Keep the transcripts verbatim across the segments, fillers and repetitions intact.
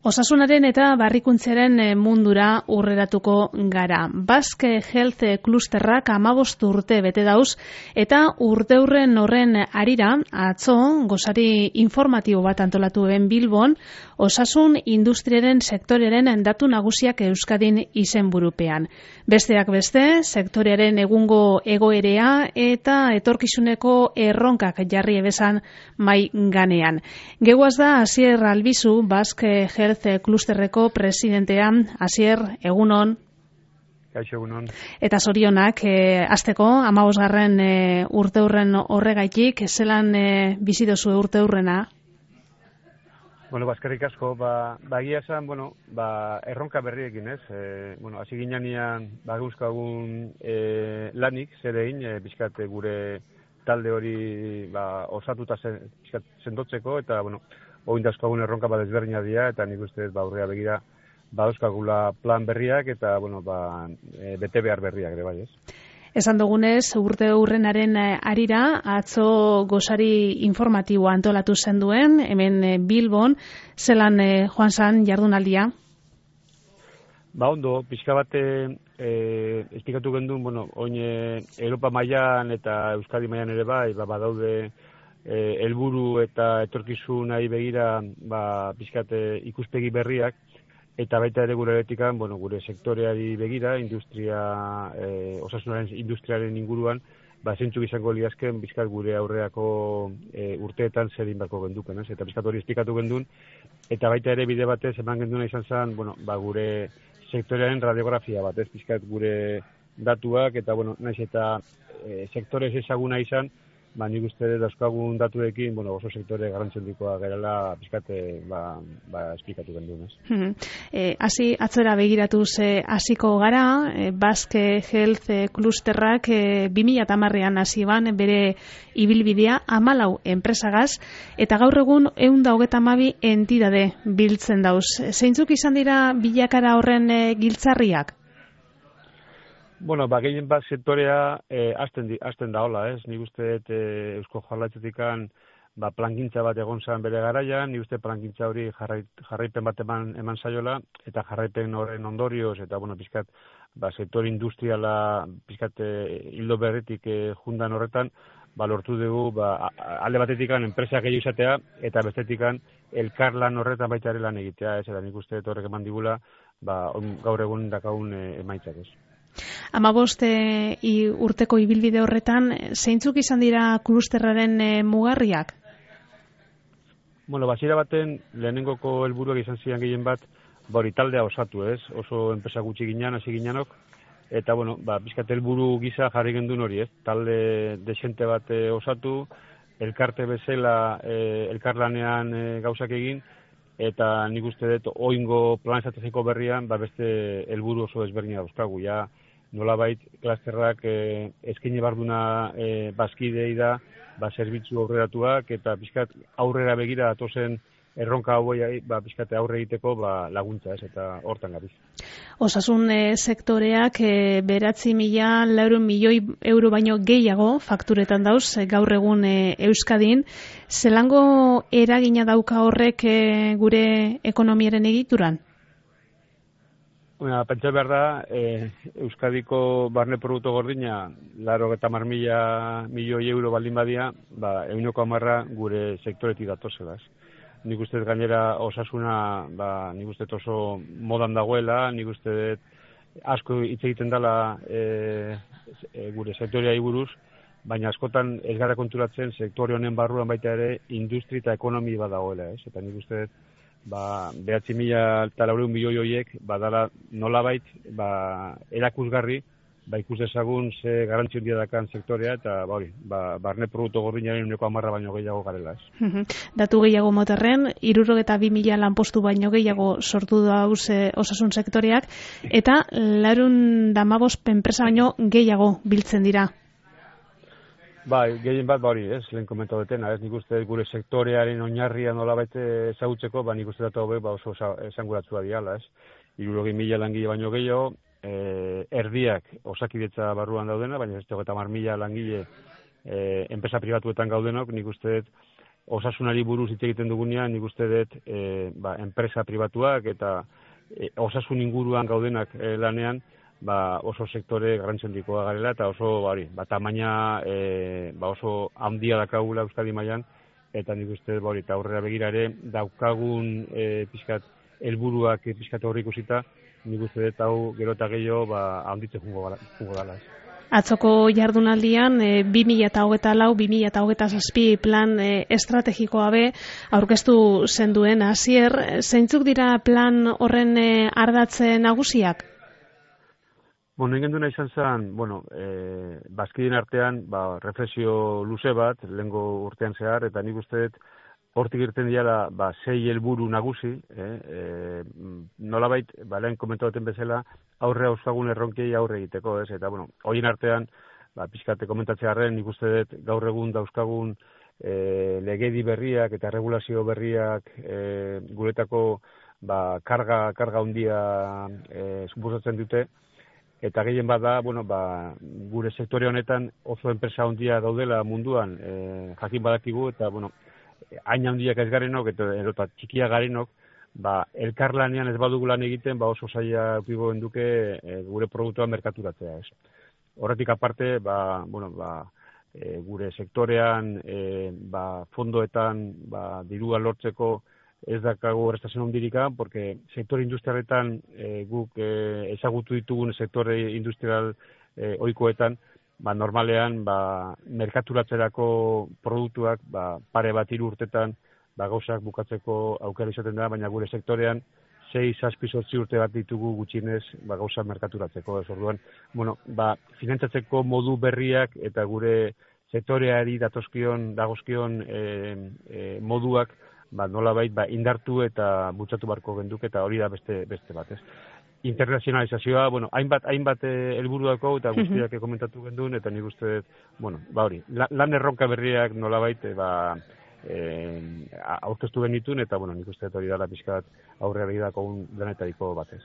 Osasunaren eta barrikuntzaren mundura urreratuko gara. Basque Health Clusterrak hamabost urte bete dauz eta urteurren horren harira atzo gosari informatibo bat antolatu ben Bilbon osasun industriaren sektorearen datu nagusiak Euskadin izenburupean. Besteak beste, sektorearen egungo egoerea eta etorkizuneko erronkak jarri ebezan mai ganean. Geguaz da Asier Albizu, Basque Health Clusterreko presidentea. Asier, egunon. Kaixo, egunon. Eta zorionak, e, azteko, hamabosgarren e, urteurren horregaitik, zelan e, bizi dozu urteurrena? Bueno, bazkarrik asko, ba, bagia esan, bueno, ba, erronka berriekin, ez? E, bueno, hasi ginean, ba, guzkagun e, lanik, zerein, e, bizkat gure talde hori ba, osatuta zen, bizkat sendotzeko, eta, bueno, oindazkoagun erronka bat ezberdina dira, eta nik uste ba, aurrea begira badauzkagula plan berriak, eta, bueno, ba, e, bete behar berriak ere bai, ez? Esan dugunez, urte urrenaren harira, atzo gosari informatiboa antolatu zen duen, hemen Bilbon, zelan eh, joan zan jardunaldia? Ba ondo, pixka bate e, esplikatu gendun, bueno, oin Europa mailan eta Euskadi mailan ere bai, ba, badaude helburu e, eta etorkizunari begira ba, pixkate ikuspegi berriak, eta baita ere gure etikan, bueno, gure sektoreari begira, industria, e, osasunaren industriaren inguruan, ba, zeintzuk izango liazken, bizkat gure aurreako e, urteetan zer inbarko genduken, ez? Eta bizkat hori esplikatu gendun, eta baita ere bide batez eman genduna izan zen, bueno, ba, gure sektorearen radiografia bat, ez? Bizkat gure datuak, eta, bueno, naiz eta e, sektorez ezaguna izan, ba, nik uste dauzkagun datuekin, bueno, oso sektore garrantzendikoa gerala pizkate, ba, ba, esplikatu gendun, ez? Hmm. Eh, hasi atzera begiratuz eh, hasiko gara, eh, Basque Health Clusterrak eh, bi mila hamarrean hasi ban bere ibilbidea hamalau enpresagaz, eta gaur egun ehun eta hogeita hamabi entidade biltzen dauz. Zeintzuk izan dira bilakara horren eh, giltzarriak? Bueno, ba, gehien bat sektorea eh, azten, azten da hola, ez? Nik uste eh, Eusko Jaurlaritzatik ba, plangintza bat egon zen bere garaian, nik uste plangintza hori jarrai, jarraipen bat eman, eman zaiola, eta jarraipen horren ondorioz, eta, bueno, pizkat, ba, sektor industriala, pizkat, eh, hildo berretik eh, jundan horretan, ba, lortu dugu, ba, alde batetik enpresa gehiago izatea, eta bestetik elkarlan horretan baita ere lan egitea, ez? Eta nik uste horrek eman digula, ba, on, gaur egun dakagun eh, emaitzak, ez? Hamabost e, urteko ibilbide horretan, zeintzuk izan dira klusterraren e, mugarriak? Bueno, basiera baten, lehenengoko helburuak izan ziren gehien bat, ba hori taldea osatu, ez? Oso enpresa gutxi ginean, hasi ginenok, eta, bueno, ba, bizkat helburu gisa jarri gendun hori, ez? Talde desente bat e, osatu, elkarte bezala e, elkarlanean e, gauzak egin, eta nik uste dut oingo plan estrategiko berrian, ba, beste helburu oso ezberdina dauzkagu, ja, nolabait klasterrak eh, eskaini barduna eh, bazkidei da, ba, zerbitzu aurreratuak, eta pixkat aurrera begira datozen erronka hauei, ba, pixkat aurre egiteko ba, laguntza, ez, eta hortan gabiz. Osasun e, sektoreak e, beratzi mila laurehun milioi euro baino gehiago fakturetan dauz, e, gaur egun e, Euskadin. Zelango eragina dauka horrek e, gure ekonomiaren egituran? Bueno, pentsa behar da, eh, Euskadiko barne produktu gordina, laro eta mar mila milioi euro baldin badia, ba, ehuneko hamarra gure sektoretik datozela. Nik uste gainera osasuna, ba, nik uste oso modan dagoela, nik uste asko hitz egiten dela e, e, gure sektoreai buruz, baina askotan ez gara konturatzen sektore honen barruan baita ere industri eta ekonomi bat dagoela, ez? Eta nik uste ba, behatzi mila eta laurehun milioi horiek, badala nolabait, ba, erakusgarri, ba, ikus dezagun ze garrantzi handia dakan sektorea, eta ba, hori, ba, barne produktu gordinaren ehuneko hamarra baino gehiago garela, ez. Datu gehiago moterren, hirurogeita bi mila lanpostu baino gehiago sortu dauz e, osasun sektoreak, eta laurehun eta hamabost enpresa baino gehiago biltzen dira. Bai, gehien bat, ba hori, ez, lehen komentatu detena, ez, nik uste gure sektorearen oinarria nolabait ezagutzeko, ba nik uste datu hauek ba oso esanguratsua diala, ez. hirurogei mila langile baino gehiago, eh, erdiak osakidetza barruan daudena, baina ez hogeita hamar mila langile eh, enpresa pribatuetan gaudenok, nik uste dut osasunari buruz hitz egiten dugunean, nik uste dut e, ba, enpresa pribatuak eta e, osasun inguruan gaudenak e, lanean, ba, oso sektore garrantzendikoa garela eta oso hori, ba, tamaina e, ba, oso handia dakagula Euskadi mailan, eta nik uste ba, hori, eta aurrera begira ere daukagun e, pixkat helburuak e, pixkat horri ikusita, nik uste dut hau gero eta gehiago ba, handitzen jungo dala. Atzoko jardunaldian e, bi mila hogeita lau bi mila hogeita zazpi plan e, estrategikoa be aurkeztu zenduen hasier, zeintzuk dira plan horren e, ardatze nagusiak? Bueno, egin duena izan zen, bueno, e, bazkideen artean, ba, reflexio luze bat, lehengo urtean zehar, eta nik uste dut, hortik irten diala, ba, sei helburu nagusi, eh? e, nolabait, ba, lehen komentatzen bezala, aurre auskagun erronkei aurre egiteko, ez? Eta, bueno, horien artean, ba, pixkate komentatzearen, nik uste dut, gaur egun dauzkagun e, legedi berriak eta regulazio berriak e, guretako, ba, karga, karga handia e, suposatzen dute, eta gehien bada, bueno, ba, gure sektore honetan oso enpresa handia daudela munduan, e, jakin badakigu, eta, bueno, hain handiak ez garenok, eta, eta txikia garenok, ba, elkarlanean ez badugu lan egiten, ba, oso zaila eukiko genduke e, gure produktua merkaturatzea, ez. Horretik aparte, ba, bueno, ba, e, gure sektorean, e, ba, fondoetan, ba, dirua lortzeko, ez dakago errestazio handirika, porque sektore industrialetan e, guk e, ezagutu ditugun sektore industrial e, ohikoetan, ba, normalean ba, merkaturatzerako produktuak ba, pare bat hiru urtetan ba, gauzak bukatzeko aukera izaten da, baina gure sektorean sei, zazpi, zortzi urte bat ditugu gutxinez ba, gauza merkaturatzeko. Ez orduan, bueno, ba, finantzatzeko modu berriak eta gure sektoreari datozkion, dagozkion e, e, moduak ba, nolabait ba, indartu eta bultzatu barko genduk, eta hori da beste beste bat, ez. Internazionalizazioa, bueno, hainbat hainbat helburuako eta guztiak komentatu gendun, eta nik uste dut, bueno, ba hori, lan erronka berriak nolabait ba eh aurkeztu genitun, eta bueno, nik uste dut hori dela pixkat aurrera begirako un denetariko batez.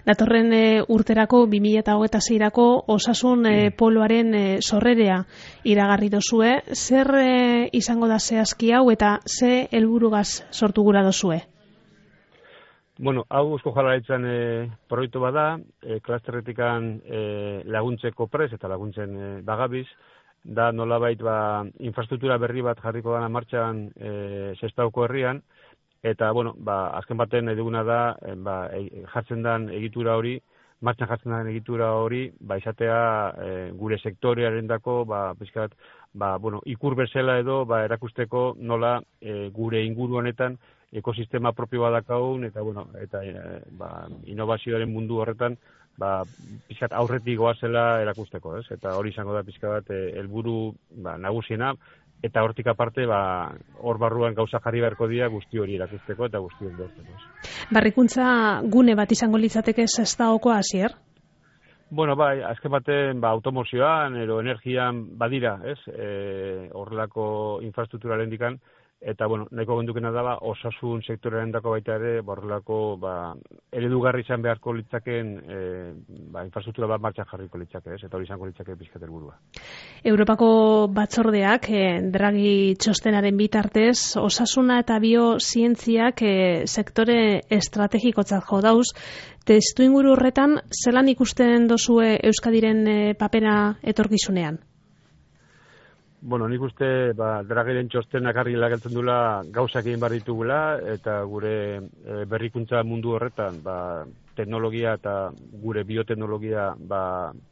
Datorren e, urterako bi mila hogeita seirako osasun e, poloaren e, sorrerea iragarri dozue, zer e, izango da zehazki hau eta ze helburugaz sortu gura dozue? Bueno, hau Eusko Jaurlaritzan e, proiektu bada, e, klasterretikan e, laguntzeko prez eta laguntzen e, bagabiz, da nolabait ba, infrastruktura berri bat jarriko dana martxan e, Sestauko herrian, eta, bueno, ba, azken baten nahi duguna da, e, ba, e, jartzen den egitura hori, martxan jartzen den egitura hori, ba, izatea e, gure sektorearen dako, ba, pizkat, ba, bueno, ikur bezala edo, ba, erakusteko nola e, gure inguru honetan ekosistema propio bat dakagun, eta, bueno, eta e, ba, innovazioaren mundu horretan, ba, pizkat aurretik goazela erakusteko, ez? Eta hori izango da pizka bat helburu ba, nagusiena, eta hortik aparte, ba, hor barruan gauza jarri beharko dira guzti hori erakusteko eta guzti hori dortzeko. Barrikuntza gune bat izango litzateke Sestaoko hasier? Bueno, bai, azken baten ba, automozioan, ero energian badira, ez? E, horrelako infrastrukturaren dikan, eta, bueno, nahiko gendukena daba, osasun sektorearen dako baita ere, borrelako, ba, eredugarri izan beharko litzaken, e, ba, infrastruktura bat martxan jarriko litzake, ez? Eta hori izango litzake pizkat helburua. Europako batzordeak, eh, Draghi txostenaren bitartez, osasuna eta biozientziak eh, sektore estrategikotzat jo dauz, testu inguru horretan, zelan ikusten dozue Euskadiren eh, papera etorkizunean? Bueno, nik uste, ba, Draghiren txostenak argi lageltzen dula gauzak egin behar ditugula, eta gure e, berrikuntza mundu horretan, ba, teknologia eta gure bioteknologia ba,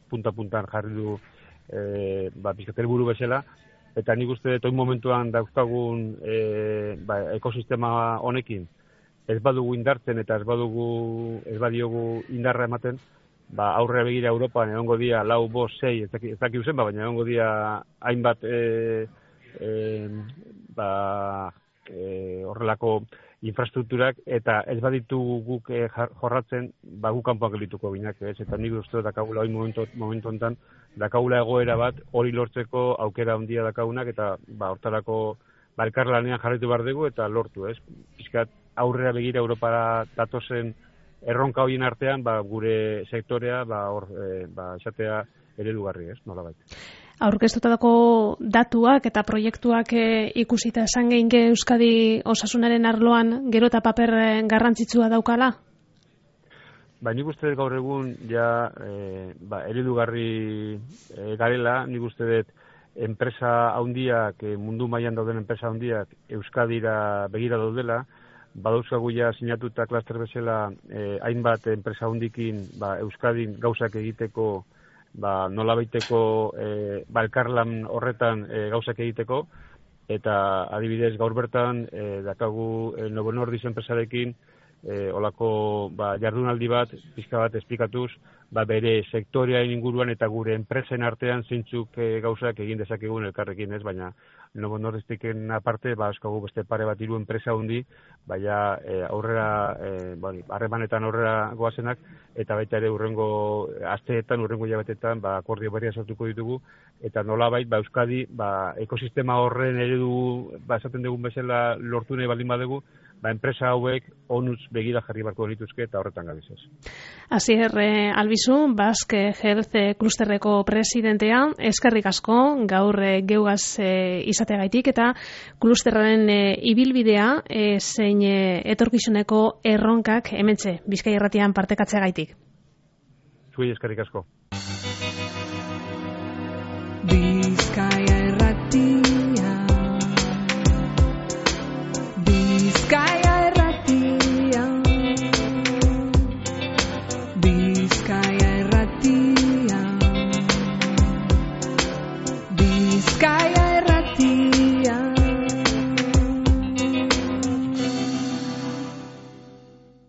punta-puntan jarri du e, ba, pizkatel buru bezala, eta nik uste toin momentuan dauzkagun e, ba, ekosistema honekin, ez badugu indartzen eta ez badugu ez badiogu indarra ematen, ba, aurrera begira Europan egongo dia lau, bost, sei, ez daki uzen, ba, baina egongo dia hainbat e, e, ba, e, horrelako infrastrukturak, eta ez baditu guk e, jorratzen, ba, guk kanpoan geldituko binak, ez? Eta nik uste dakagula hori momentu, momentu ontan, dakagula egoera bat hori lortzeko aukera handia dakagunak, eta ba, hortarako ba, elkarlanean jarraitu behar dugu eta lortu, ez? Pizkat aurrera begira Europara datozen erronka horien artean, ba, gure sektorea, ba, hor, e, ba, esatea eredugarri, ez, nolabait. Aurkeztutako datuak eta proiektuak e, ikusita esan geinke Euskadi osasunaren arloan gero eta paper garrantzitsua daukala? Ba, nik uste dut gaur egun, ja, e, ba, eredugarri e, garela, nik uste dut enpresa handiak, e, mundu mailan dauden enpresa handiak, Euskadira begira daudela, badauzkagu ja sinatuta klaster bezala eh, hainbat enpresa handikin ba, Euskadin gauzak egiteko, ba, nolabaiteko eh, ba, elkarlan horretan eh, gauzak egiteko, eta adibidez gaur bertan eh, dakagu eh, Novo Nordisk enpresarekin eh, olako ba, jardunaldi bat, pizka bat esplikatuz, ba, bere sektorearen inguruan eta gure enpresen artean zeintzuk e, gauzak egin dezakegun elkarrekin, ez, baina Novo Nordistiken aparte, ba, eskagu beste pare bat hiru enpresa hundi, baina e, aurrera, e, bani, harremanetan aurrera goazenak, eta baita ere urrengo asteetan, urrengo jabetetan, ba, akordio berria sortuko ditugu, eta nolabait, ba, Euskadi, ba, ekosistema horren eredu, ba, esaten dugun bezala lortu nahi baldin badugu, ba, enpresa hauek onuz begira jarri barko dituzke eta horretan gabizaz. Asier eh, Albizu, Basque Health Clusterreko presidentea, eskerrik asko gaur eh, geugaz eh, izateagaitik eta klusterraren eh, ibilbidea eh, zein eh, etorkizuneko erronkak hementxe Bizkai Irratian partekatzeagaitik. Zuei eskerrik asko. Bizkaia